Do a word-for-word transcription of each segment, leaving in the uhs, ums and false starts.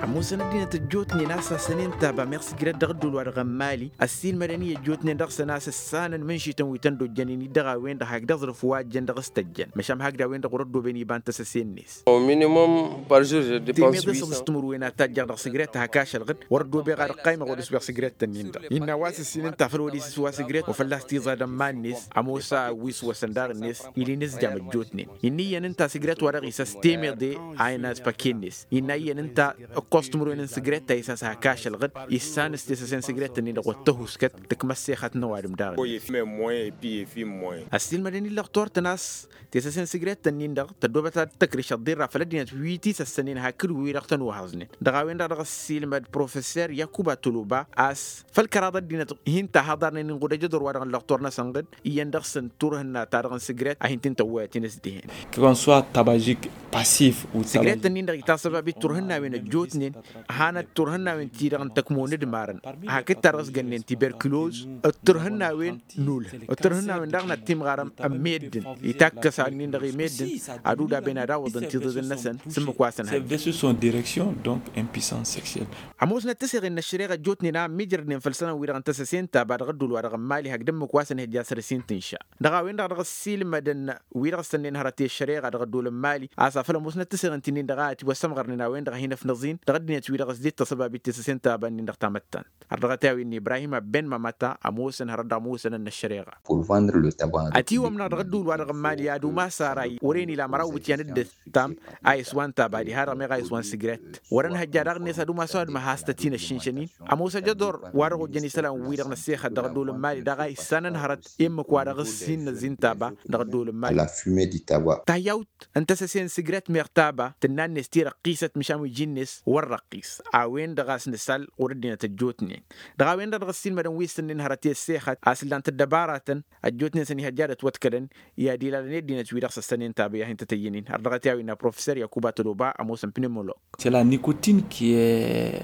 Ămoosăn ăddinăt ăjjootnen a-s asănen taba meɣ sǝjrăt dăɣ-ăddul wa dăɣ-ămmali ăssiilmădăn-i ăjjootnen dăɣ-săn a-s ǝssanăn mǝnšităn wi tăn-dd-ojjănen-i dăɣ-a-wen-dăɣ hakd aẓrǝf wa ăjjăn dăɣ-s tăjjăn măšan hakd a-wen-dăɣ wăr-ăddooben iba n-tăsăse-net. Au minimum par jour je depense temeḍe săɣ s-timǝrwen ad-tajjăɣ dăɣ-sǝjrăt ta hak ašălɣǝd wăr-ăddoobeɣ ad-ăqqaymăɣ odǝs meɣ sǝjrăt-tăn-in-dăɣ innă a-wa s-ǝssin ǝnta făl wăr-isǝswa sǝjrăt wa fălla-s tiẓad ămman-net ămoos a wi s-wăsăn daɣ-net ili n-ǝzjam ăjjootnen. Innă iyyăn ǝnta sǝjrăt wa dăɣ-isăs temeḍe a inăs păke-net innă iyyăn ǝnta ǝkkoẓ timǝrwen n-sǝjrăt ta isăs hak ašălɣǝd issan s-tesăse n-sǝjrăt-tăn-in-dăɣ wăr tăhuskăt tǝkmăs sexăt n-ăwadǝm daɣ-net. Ăssiilmădăn-in lăxtor-tăn a-s tesăse n-sǝjrăt-tăn-in-dăɣ tăddoobăt ad-tăkrǝš ăḍḍirra făll-ăddinăt wi tisăssănen hakd wi-dăɣ tăn-ohăẓnen. Dăɣ-a-wen-dăɣ dăɣ-ăssiilmăd professor yakuba toloba a-s făll-kăraḍ ăddinăt hin-tahaḍarnen inɣud ajădor wa dăɣ-n lăxtor-năsăn ɣǝd iyyăn dăɣ-săn turhǝnna ta dăɣ-n sǝjrăt a hin-t-in-tăwwăyăt inǝsdǝhen. Sǝjrăt-tăn-in-dăɣ itasăbabit turhǝnnawen ăjjootnen hanăt turhǝnnawen-ti-dăɣ n-tăkmo n-ǝdmarăn hakd ta dăɣ-s gănnen tiberkuloz d-turhǝnnawen n-ulh d-turhǝnnawen daɣ n-ad-timɣarăm ămmeddǝn itakkăs ad-nin-dăɣ i-meddǝn ad-udaben ad-awǝḍăn tiẓiḍen-năsăn s-ǝmmǝk wa săn hăjja. Ămoosnăt tăseɣen n-ăššăreɣa ăjjootnen a ămmiijrădnen făll-isălan-wi-dăɣ n-tăsăse n-taba dăɣ-ăddul wa dăɣ-ămmali hakd ǝmmǝk wa săn hăjja săr-s hin-tǝnša. Dăɣ-a-wen-dăɣ dăɣ-ăssiilmădăn wi-dăɣ s-tănnen hărăt i-ăššăreɣa dăɣ-ăddul n-mali a-s afăl ămoosnăt tăseɣen ti-nin-dăɣ a ătiwăssămɣărnen a-wen-dăɣ a hin-ăfnăẓin dăɣ-ăddinăt-wi-dăɣ ăsdit tăsăbabit tesăse n-taba-nin-dăɣ tamăttant. Ărdăɣăt i-a-wen n-ibrahim abben mamăta ămoosăn hărăt dăɣ-ămoosăn n-ăššăreɣa. Ătiwămnăɣ dăɣ-ăddul wa dăɣ-ămmali ad-umas ara i-wăren ila măraw iwǝtyan d-ǝttam a iswan taba diha-dăɣ meɣ a iswan sǝjrăt wăr-ănhăjja daɣ-net ad-umas ăwadǝm a has-tăt-in-ăššǝnšăn-in. Ămoos ajădor wa dăɣ-ojjăn isălan-wi-dăɣ n-ăssexăt dăɣ-ăddul n-mali daɣ a issanăn hărăt i-ǝmmǝk wa dăɣ-s hin-năzzin taba dăɣ-ăddul n-mali. Tayyawt n-tăsăse n-sǝjrăt meɣ taba tǝnna-net tirăqqisăt măšan wi iji-net wăr-răqqis. A-wen-dăɣ a-s nǝsal ɣur-ăddinăt ăjjootnen dăɣ-a-wen-dăɣ dăɣ-ăssiilmădăn wi s-tǝnnin hărăt i-ăssexăt a-s ǝllan-t ăddăbaratăn ăjjootnen săn ihăjja ad-ătwăḍkălăn i-ad-ilalăn i-ăddinăt-wi-dăɣ s-ăssănen taba i-ad-hin-tăt-ăyyǝn-in har dăɣ-t i-a-wen n-aprofessor yakuba toloba ămoosăn pneumolos.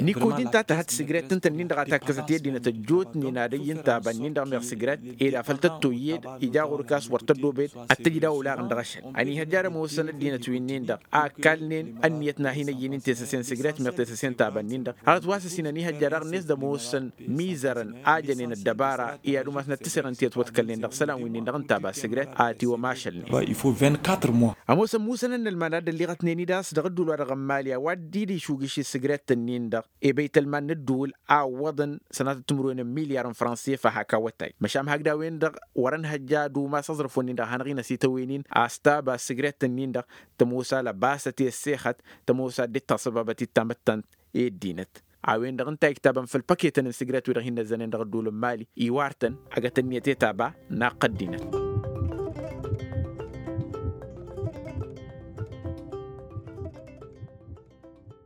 Nikotin ta tǝhăt sǝjrăt ǝnta-nin-dăɣ a takkăsăt i-ăddinăt ăjjootnen ad-ăyy n-taba-nin-dăɣ meɣ sǝjrăt ed afăl tăt-toyyed ija ɣur-k a-s wăr tăddobed ad-tǝjǝd a olaɣ n-dăɣ-ašăl. Ăniihăjja ad-ămoosăn ăddinăt wi-nin-dăɣ a ăkkalnen ănniyăt n-ad-hin-ăyyǝn-in tesăse n-sǝjrăt meɣ tesăse n-taba-nin-dăɣ hărăt wa s-ǝssin ăniihăjja daɣ-net d-ămoosăn mizărăn a jănen ăddăbara i-ad-umasnăt tǝseɣăn ti ătwăḍkălnen dăɣ-isălan wi-nin-dăɣ n-taba sǝjrăt a tiwămašălnen. Ămoosăn musăn ănnălman ad-ălliɣătnen-dd a-s dăɣ-ădduul wa dăɣ-ămmali a-wa dd-dd-išugǝš i-sǝjrăt-ǝnnin-dăɣ i-băytălman n-ǝdduul a ǝwwăḍăn sănatăt timǝrwen n-milyar n-franse făll-hak awătay măšan hakd a-wen-dăɣ wăr-ănhăjja ad-umas aẓrǝf-wăn-in-dăɣ a hanăɣ-inăs itawăynen a-s taba sǝjrăt-ǝnnin-dăɣ tămoos a lăbasăt i-ăssexăt tămoos a dd-taṣăbabăt-dd tamăttant i-ăddinăt. A-wen-dăɣ ǝnta a iktabăn făll-păketăn n-sǝjrăt-wi-dăɣ hin-năzzănen dăɣ-ădduul n-mali iwar-tăn agăt ǝnniyăt i-taba naqqă ăddinăt.